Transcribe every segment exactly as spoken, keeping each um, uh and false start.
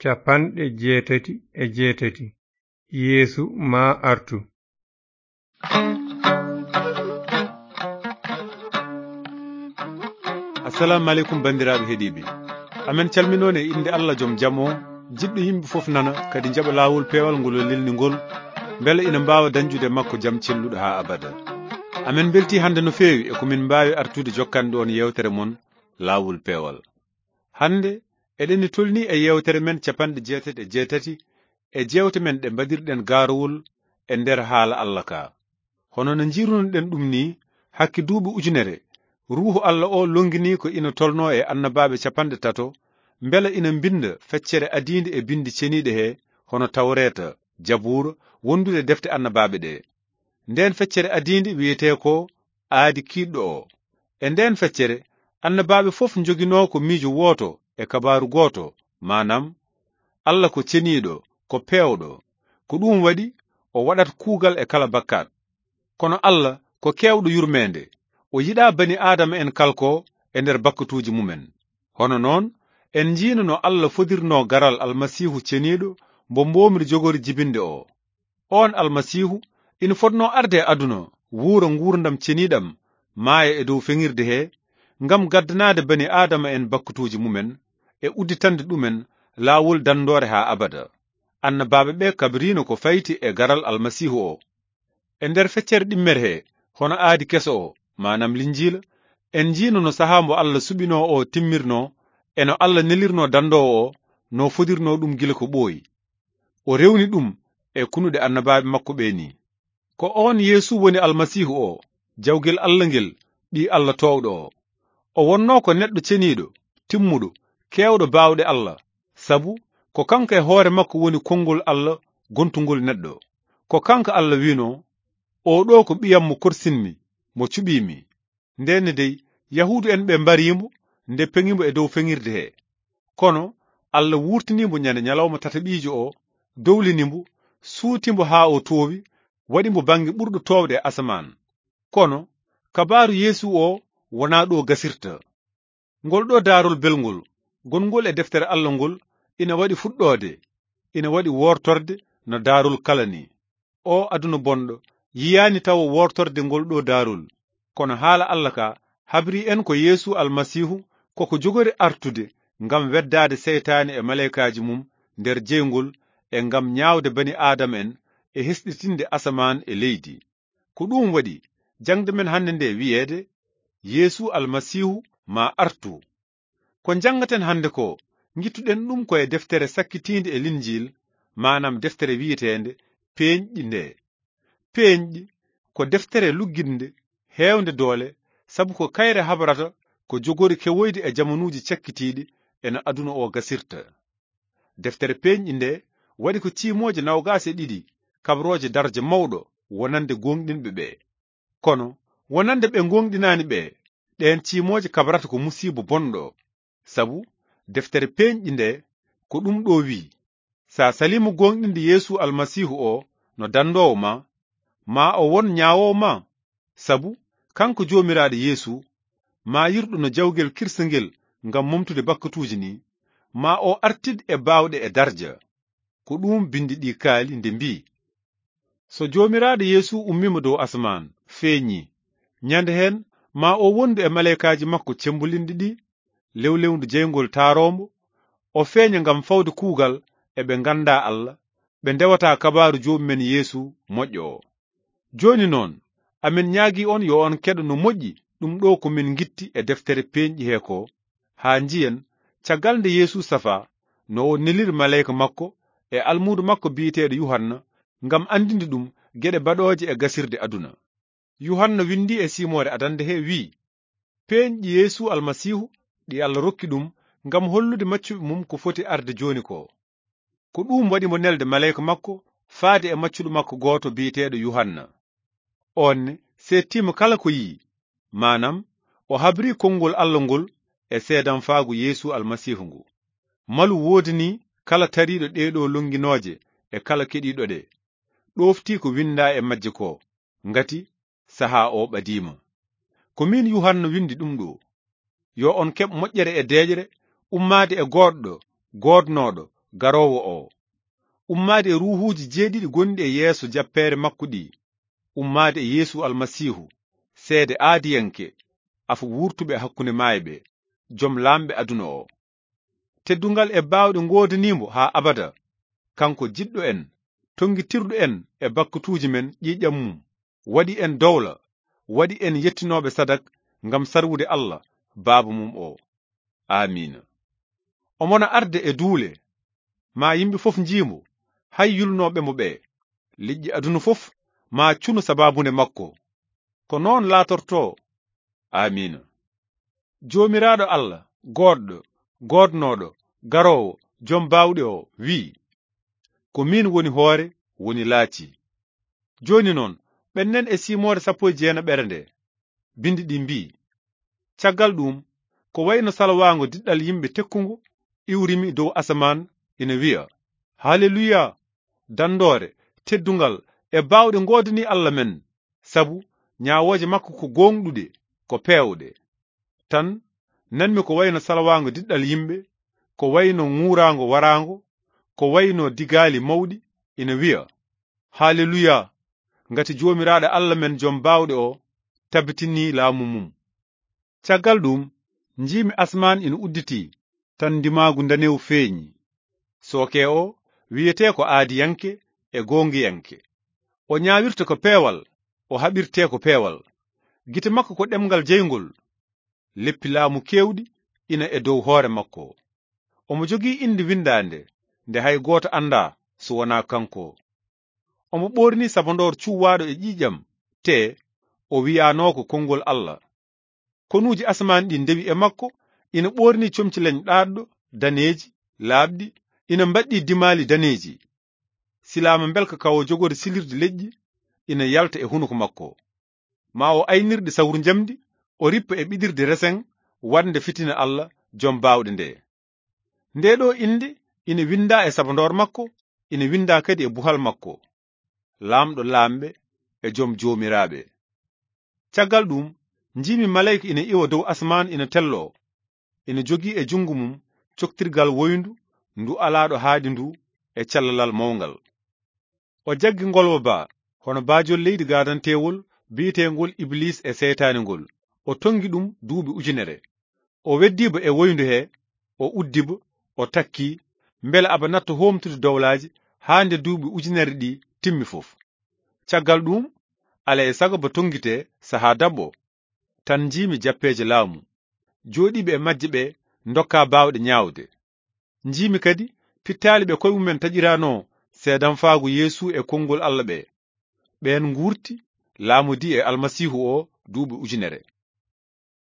capanɗe jeetati e jeetati. Yeesu maa artu. Assalamu aleykum, banndiraaɓe heɗiiɓe. Amen calminoon e innde Allah joom jam o, jiɗɗo yimɓe fof nana, kadi njaɓa laawol peewal ngol o lelni ngol, mbele ina mbaawa dañjude makko jam celluɗo haa abada. Amen mbeltii hannde no feewi e ko min mbaawi artude jokkande on yeewtere mon, Laawol Peewal. Hannde, eɗen tolnii e yeewtere men capanɗe jeetati e jeetati e jeewte men ɗe mbaɗirɗen gaarowol e nder haala Allah ka. Hono no njiirunoɗen ɗum nii, hakke duuɓi ujunere, Ruuhu Allah o lonnginii ko ina tolnoo e annabaaɓe capanɗe tato, mbela ina mbinnda feccere adiinde e binndi ceniiɗe he, hono Tawreeta, Jabuura, wondude defte annabaaɓe ɗe. Ndeen feccere adiinde wiyetee ko Aadi Kiiɗɗo o. E ndeen feccere, annabaaɓe fof njoginoo ko miijo wooto e kabaaru gooto, maanaam, Allah ko ceniiɗo, ko peewɗo. Ko ɗuum waɗi o waɗat kuugal e kala bakkaat. Kono Allah ko keewɗo yurmeende. O yiɗaa bani Aadama en kalkoo e nder bakkatuuji mumen. Hono noon, en njiino no Allah fodirnoo garal Almasiihu ceniiɗo mbo mboomri jogori jibinde o. Oon Almasiihu ina fotnoo arde e aduna, wuura nguurndam ceniiɗam, maaya e dow feŋirde he, ngam gaddanaade bani Aadama en bakkatuuji mumen e udditande ɗumen laawol danndoore haa abada. Annabaaɓe ɓe kabriino ko fayti e garal Almasiihu o. E nder feccere ɗimmere he, hono Aadi Keso o, maanaam Linjiila, en njiino no sahaa mbo Allah suɓinoo o timmirnoo, e no Allah nelirnoo danndoowo o, no fodirnoo ɗum gila ko ɓooyi. O rewni ɗum e kunuɗe annabaaɓe makko ɓe nii. Ko oon Yeesu woni Almasiihu o, jawgel Allah ngel, Ɓii Allah toowɗo o. O wonnoo ko neɗɗo ceniiɗo, timmuɗo, keewɗo baawɗe Allah, sabu ko kanko e hoore makko woni konngol Allah gontungol neɗɗo. Ko kanko Allah wi'noo, "Oo ɗoo ko ɓiyam mo korsinmi, mo cuɓiimi." Ndeen dey, Yahuudu'en ɓe mbarii mbo, nde peŋi mbo e dow feŋirde he. Kono Allah wuurtinii mbo ñande ñalawma tataɓiijo o, dowlini mbo, suuti mbo haa o toowi, waɗi mbo bannge ɓurɗo toowde e asamaan. Kono kabaaru Yeesu o wonaa ɗo gasirta. Ngol ɗo daarol belngol, gonngol e deftere Allah ngol, ina waɗi fuɗɗoode, ina waɗi woortorde no daarol kala ni. O aduna bonɗo yiyaani tawo woortorde ngol ɗo daarol, kono haala Allah ka habri en ko Yeesu Almasiihu koko jogori artude ngam weddaade seytaane e maleykaaji mum nder jeyngol e ngam ñaawde bani Aadama en e hesɗitinde asamaan e leydi. Ko ɗuum waɗi jaŋde men hannde nde wiyeede, Yeesu Almasiihu maa artu. Ko njanngaten hannde ko, ngittuɗen ɗum ko e deftere sakkitiinde e Linjiil, maanaam deftere wiyeteende Peeñɗi nde. Peeñɗi ko deftere luggiɗnde, heewnde doole, sabu ko kayre habrata ko jogori kewoyde e jamanuuji cakkitiiɗi e no aduna o gasirta. Deftere Peeñɗi nde waɗi ko ciimooje noogaas e ɗiɗi, kabrooje darja mawɗo wonande gooŋɗinɓe ɓe. Kono wonande ɓe gooŋɗinaani ɓe, ɗeen ciimooje kabrata ko musiiba bonɗo. Sabu deftere Peeñɗi nde ko ɗum ɗo wi'i, "Sa saliima gooŋɗinde Yeesu Almasiihu o no danndoowo ma, ma o won ñaawoowo ma, sabu kanko Joomiraaɗo Yeesu, ma yirɗo no jawgel kirsangel ngam momtude bakkatuuji ni, ma o artid e baawɗe e darja." Ko ɗum binndi ɗi kaali nde mbi'i, "So Joomiraaɗo Yeesu ummiima dow asamaan, feeñi, ñande heen ma o wondu e maleykaaji makko cemmbolinɗi ɗi, lewlewndu jeyngol taaroombo, o feeña ngam fawde kuugal e ɓe nganndaa Allah, ɓe ndewata kabaaru Joomi men Yeesu moƴƴo o." Jooni noon, amen ñaagii on yo on keɗo no moƴƴi ɗum ɗo ko min ngitti e deftere Peeñɗi he ko, haa njiyen caggal nde Yeesu safaa, no o neliri maleyka makko e almuudo makko biyeteeɗo Yuhanna ngam anndinde ɗum geɗe baɗooje e gasirde aduna. Yuhanna winndi e siimoore adannde he wi'i, "Peeñɗi Yeesu Almasiihu ɗi Allah rokki ɗum ngam hollude maccuɓe mum ko foti arde jooni ko." Ko ɗuum waɗi mo nelde maleyka makko faade e maccuɗo makko gooto biyeteeɗo Yuhanna. Oon ne seettiima kala ko yi'i, maanaam o habri konngol Allah ngol e seedanfaagu Yeesu Almasiihu ngu. Malu woodanii kala tariiɗo ɗee ɗo lonnginooje e kala keɗiiɗo ɗe. Ɗooftii ko winndaa e majje ko, ngati sahaa o ɓadiima. Ko miin Yuhanna winndi ɗum ɗo. Yo on keɓ moƴƴere e deeƴre ummaade e goodɗo, goodnooɗo, garoowo oo. Ummaade e ruuhuuji jeeɗiɗi gonɗi e yeeso jappeere makko ɗii, ummaade e Yeesu Almasiihu, seede aadiyanke, afo wuurtuɓe hakkunde maayɓe, jom laamɓe aduna oo. Teddungal e baawɗe ngoodanii mo haa abada, kanko jiɗɗo en, tonngitirɗo en e bakkatuuji men ƴiiƴam mum, waɗi en dowla, waɗi en yettinooɓe sadak ngam sarwude Allah, Baaba mum oo. Aamiina. Omo na arde e duule, maa yimɓe fof njii mo, hay yulnooɓe mo ɓee. Leƴƴi aduna fof maa cunu sabaabunde makko. Ko noon laatortoo. Aamiina. Joomiraaɗo Allah, goodɗo, goodnooɗo, garoowo, jom baawɗe oo, wiyi, "Ko miin woni hoore, woni laaci." Jooni noon, ɓennen e siimoore sappo e jeenaɓere nde. Binndi ɗi mbii, "Caggal ɗuum, ko wayno salwaango diɗɗal yimɓe tekkungo iwrimi dow asamaan, ina wiya, 'Haleluya! Danndoore, teddungal e baawɗe ngoodanii Allah men, sabu ñaawooje makko ko gooŋɗuɗe, ko peewɗe.'" Tan, nanmi ko wayno salwaango diɗɗal yimɓe, ko wayno ŋuuraango waraango, ko wayno digaali mawɗi, ina wiya, "Haleluya! Ngati Joomiraaɗo Allah men Jom Baawɗe oo tabitinii laamu mum." Caggal ɗuum, njiimi asmaan ina udditii, tan ndimaagu ndanewu feeñi. Sooke oo wiyetee ko aadiyanke e goongiyanke. O ñaawirta ko peewal, o haɓirtee ko peewal. Gite makko ko ɗemngal jeyngol. Leppi laamu keewɗi ina e dow hoore makko. Omo jogii innde winndaande nde hay gooto anndaa so wonaa kanko. Omo ɓoornii sabandoor cuwaaɗo e ƴiiƴam, tee o wiyaanoo ko konngol Allah. Konuuji asamaan ɗi ndewi e makko, ina ɓoornii comci leñ ɗaatɗo, daneeji, laaɓɗi, ina mbaɗɗii dimaali daneeji. Silaama mbelka ka o jogori silirde leƴƴi ina yalta e hunuko makko. Ma o aynirɗe sawru njamndi, o rippa e ɓiɗirde reseŋ, waɗnde fitina Allah, Jom Baawɗe nde. Ndee ɗoo innde ina winndaa e sabandoor makko, ina winndaa kadi e buhal makko, Laamɗo laamɓe e Jom joomiraaɓe. Caggal ɗuum, njiimi maleyka ina iwa dow asamaan ina telloo. Ina jogii e junngo mum coktirgal woyndu ndu alaaɗo haaɗi ndu e callalal mawngal. O jaggi ngolwa ba, hono baajol leydi gaadanteewol biyeteengol Ibliis e seytaane ngol. O tonngi ɗum duuɓi ujunere. O weddii ba e woyndu hee, o uddi ba, o takki, mbele aba natta hoomtude dowlaaji haa nde duuɓi ujunere ɗi timmi fof. Caggal ɗuum, alaa e sago ba tonngitee sahaa daɓɓo. Tan njiimi jappeeje laamu. Jooɗiiɓe e majje ɓe ndokkaa baawɗe ñaawde. Njiimi kadi pittaali ɓe koye mumen taƴiranoo seedanfaagu Yeesu e konngol Allah ɓe. Ɓeen nguurti, laamodii e Almasiihu o duuɓi ujunere.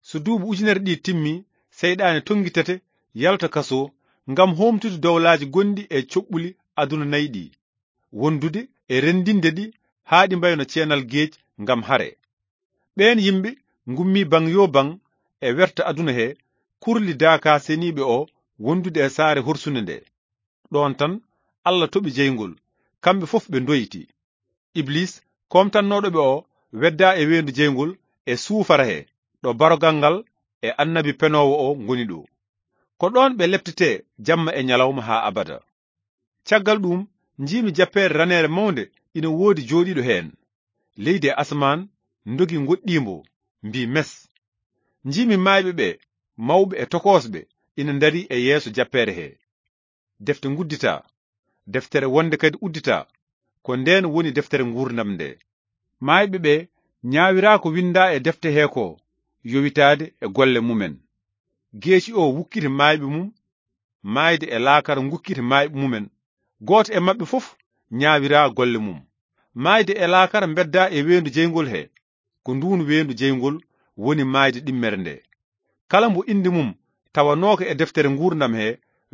So duuɓi ujunere ɗi timmi, seyɗaane tonngitete, yalta kasoo, ngam hoomtude dowlaaji gonɗi e coɓɓuli aduna nayi ɗi, wondude e renndinde ɗi haa ɗi mbayno ceenal geec ngam hare. Ɓeen yimɓe ngummii baŋ yoo baŋ e werta aduna he, kurli daakaa seniiɓe o wondude e saare horsunde nde. Ɗoon tan, Allah toɓi jeyngol, kamɓe fof ɓe ndoyti. Ibliis, koomtannooɗo ɓe o, weddaa e weendu jeyngol e suufara he, ɗo barogal ngal e annabi penoowo o ngoni ɗo. Ko ɗoon ɓe leptetee jamma e ñalawma haa abada. Caggal ɗuum, njiimi jappeere raneere mawnde ina woodi jooɗiiɗo heen. Leydi e asamaan ndogi ngoɗɗii mbo, mbii mes. Njiimi maayɓe ɓe, mawɓe e tokoosɓe, ina ndarii e yeeso jappeere he. Defte ngudditaa, deftere wonde kadi udditaa, ko ndeen woni deftere nguurndam nde. Maayɓe ɓe ñaawiraa ko winndaa e defte he ko, yowitaade e golle mumen. Geeci o wukkiti maayɓe mum, maayde e laakara ngukkiti maayɓe mumen. Gooto e maɓɓe fof ñaawiraa golle mum. Maayde e laakara mbeddaa e weendu jeyngol he, ko nduun weendu jeyngol woni maayde ɗimmere nde. Kala mbo innde mum tawanooka e deftere nguurndam he,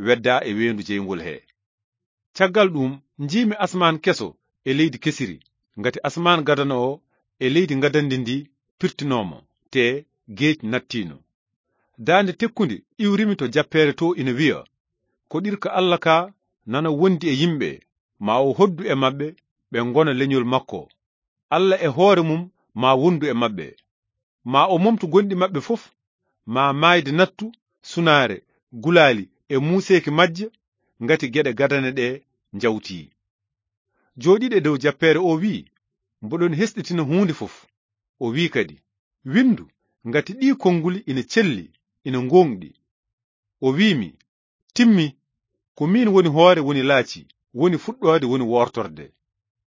weddaa e weendu jeyngol he. Caggal ɗuum, njiimi asmaan keso e leydi kesiri, ngati asmaan gadano o e leydi ngadandi ndi pirtinooma, te geec nattiino. Daande tekkunde iwrimi to jappeere to ina wiya, "Koɗirka Allah ka nana wondi e yimɓe, ma o hoddu e maɓɓe, ɓe ngona leñol makko. Allah e hoore mum ma wondu e maɓɓe. Ma o momtu gonɗi maɓɓe fof, ma maayde nattu, sunaare, gulaali e muuseeki majje, ngati geɗe gadane ɗe njawtii. Jooɗiiɗo e dow jappeere o wi'i, "Mboɗon hesɗitina huunde fof." O wi'i kadi, "Winndu ngati ɗii konnguli ina celli, ina ngooŋɗi." O wi'i mi, "Timmi, ko miin woni hoore, woni laaci, woni fuɗɗoode, woni woortorde.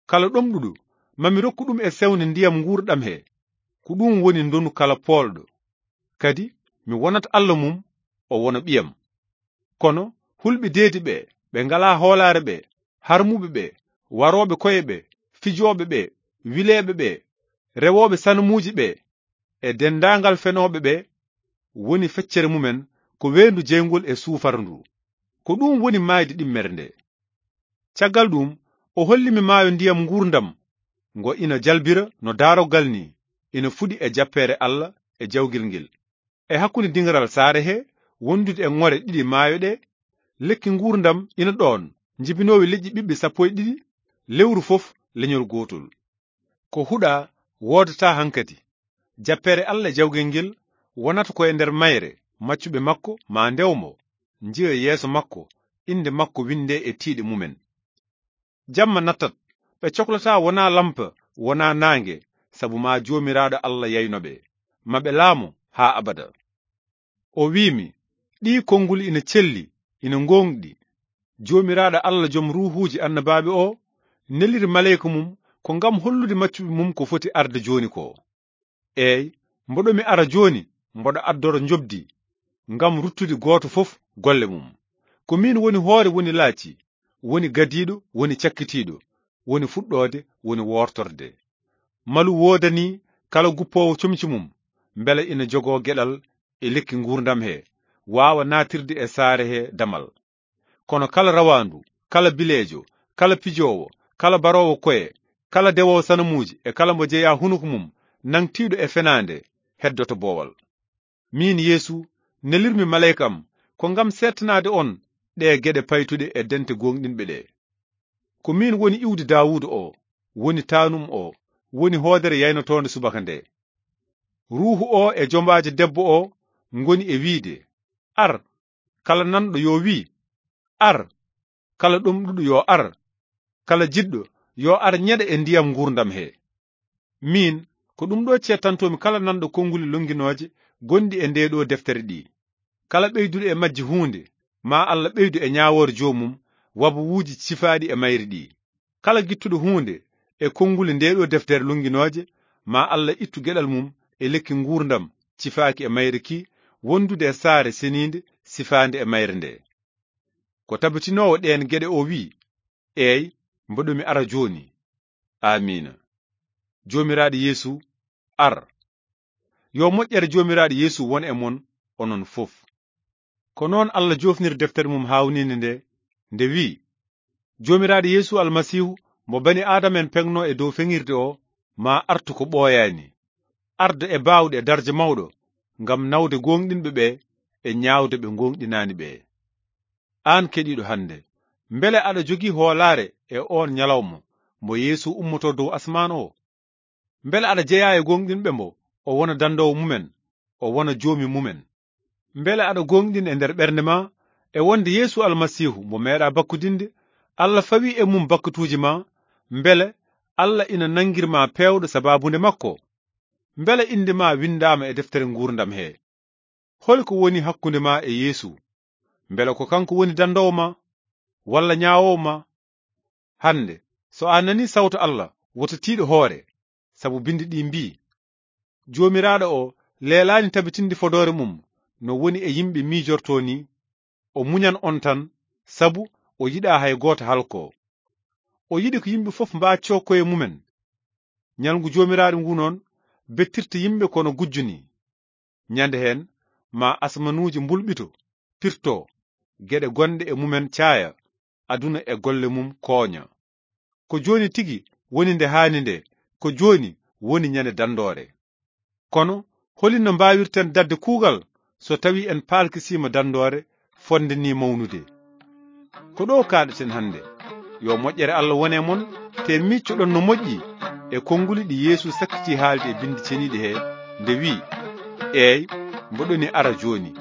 Kala ɗomɗuɗo, mami rokku ɗum e sewnde ndiyam nguurɗam he, ko ɗum woni ndonu kala poolɗo. Kadi mi wonat Alla mum, o wona ɓiyam." Kono hulɓe deedi ɓe, ɓe ngalaa hoolaare ɓe, harmuɓe ɓe, warooɓe koye ɓe, fijooɓe ɓe, wileeɓe ɓe, rewooɓe sanamuuji ɓe, e denndaangal fenooɓe ɓe, woni feccere mumen ko weendu jeyngol e suufarndu. Ko ɗum woni maayde ɗimmere nde. Caggal ɗum, o holli mi maayo ndiyam nguurndam, ngo ina jalbira no daaroggal ni, ina fuɗi e jappeere Alla e jawgel ngel. E hakkunde diŋgaral saare he, wondude e ŋore ɗiɗi maayo ɗe, lekki nguurndam ina ɗoon, njibinoowi leƴƴi ɓiɓɓe sappo e ɗiɗi, lewru fof leñol gootol. Ko huɗa woodata hankadi. Jappeere Alla e jawgel ngel wonata ko e nder mayre, maccuɓe makko ma ndew mo, njiya yeeso makko, innde makko winndee e tiiɗe mumen. Jamma nattat, ɓe coklataa wonaa lampa, wonaa naange, sabu ma Joomiraaɗo Alla yayno ɓe, ma ɓe laamo haa abada. O wi'i mi, "Ɗii konnguli ina celli, ina ngooŋɗi. Joomiraaɗo Alla, Joom ruuhuuji annabaaɓe o, neliri maleyka mum ko ngam hollude maccuɓe mum ko foti arde jooni ko. Eey, mboɗo mi ara jooni, mboɗo addora njoɓdi, ngam ruttude gooto fof golle mum. Ko miin woni hoore, woni laaci, woni gadiiɗo, woni cakkitiiɗo, woni fuɗɗoode, woni woortorde. Malu woodanii kala guppoowo comci mum, mbele ina jogoo geɗal e lekki nguurndam he, waawa naatirde e saare he damal. Kono kala rawaandu, kala bileejo, kala pijoowo, kala baroowo koye, kala dewoowo sanamuuji e kala mo jeyaa hunuko mum, nangtiiɗo e fenaande, heddoto boowal. Miin Yeesu, nelirmi maleyka am ko ngam seettanaade on ɗee geɗe paytuɗe e dente gooŋɗinɓe ɗe. Ko miin woni iwdi Daawuda o, woni taanum o, woni hoodere yaynotoonde subaka nde. Ruuhu o e jombaajo debbo o ngoni e wiide, 'Ar!' Kala nanɗo yo wi, 'Ar!' Kala ɗomɗuɗo yo ar. Kala jiɗɗo yo ar ñeɗa e ndiyam nguurndam he. Miin, ko ɗum ɗo cettantoomi kala nanɗo konnguli lonnginooje gonɗi e ndee ɗo deftere ɗi. Kala ɓeyduɗo e majji huunde, ma Alla ɓeydu e ñaawoore joomum, wabuwuuji cifaaɗi e mayre ɗi. Kala gittuɗo huunde e konnguli ndee ɗo deftere lonnginooje, ma Alla ittu geɗal mum e lekki nguurndam cifaaki e mayre ki, wondude e saare seniinde sifaande e mayre nde. Ko tabitinoowo ɗeen geɗe o wi'i, "Eey, mboɗo mi ara jooni." Aamiina. Joomiraaɗo Yeesu, ar. Yo moƴƴere Joomiraaɗo Yeesu won e mon, onon fof. Ko noon Alla joofniri deftere mum haawniinde nde, nde wi'i, "Joomiraaɗo Yeesu Almasiihu, mo bani Aadama en peŋno e dow feŋirde o, ma artu ko ɓooyaani. Arda e baawɗe e darja mawɗo, ngam nawde gooŋɗinɓe ɓe e ñaawde ɓe gooŋɗinaani ɓe." Aan keɗiiɗo hannde, mbele aɗa jogii hoolaare e oon ñalawma mo Yeesu ummotoo dow asmaan o? Mbele aɗa jeyaa e gooŋɗinɓe mbo o wona danndoowo mumen, o wona joomi mumen? Mbele aɗa gooŋɗin e nder ɓernde ma e wonde Yeesu Almasiihu mo meeɗa bakkudinde, Alla fawi e mum bakkatuuji ma, mbele Alla ina nanngir ma peewɗo sabaabu nde makko? Mbele innde ma winndaama e deftere nguurndam he? Holi ko woni hakkunde ma e Yeesu? Mbele ko kanko woni danndoowo ma, walla ñaawoowo ma? Hannde, so a nanii sawtu Alla, woto tiiɗ hoore, sabu binndi ɗi mbii, "Joomiraaɗo o leelaani tabitinde fodoore mum no woni e yimɓe miijortoo ni, o muñan on tan, sabu o yiɗaa hay gooto halkoo. O yiɗi ko yimɓe fof mbaaccoo koye mumen." Ñalngu Joomiraaɗo ngu noon bettirta yimɓe kono gujjo ni. Ñande heen, ma asmanuuji mbulɓito, pirto, geɗe gonɗe e mumen caaya, aduna e golle mum kooña. Ko jooni tigi woni nde haani nde, ko jooni woni ñande danndoore. Kono holi no mbaawirten daɗde kuugal so tawii en paalkisiima danndoore fotnde ni mawnude? Ko ɗo kaaɗeten hannde. Yo moƴƴere Alla wone mon, te miccoɗon no moƴƴi e konnguli ɗi Yeesu sakkiti haalde e Binndi Ceniiɗi he, nde wi'i, "Eey, mboɗo ni ara jooni."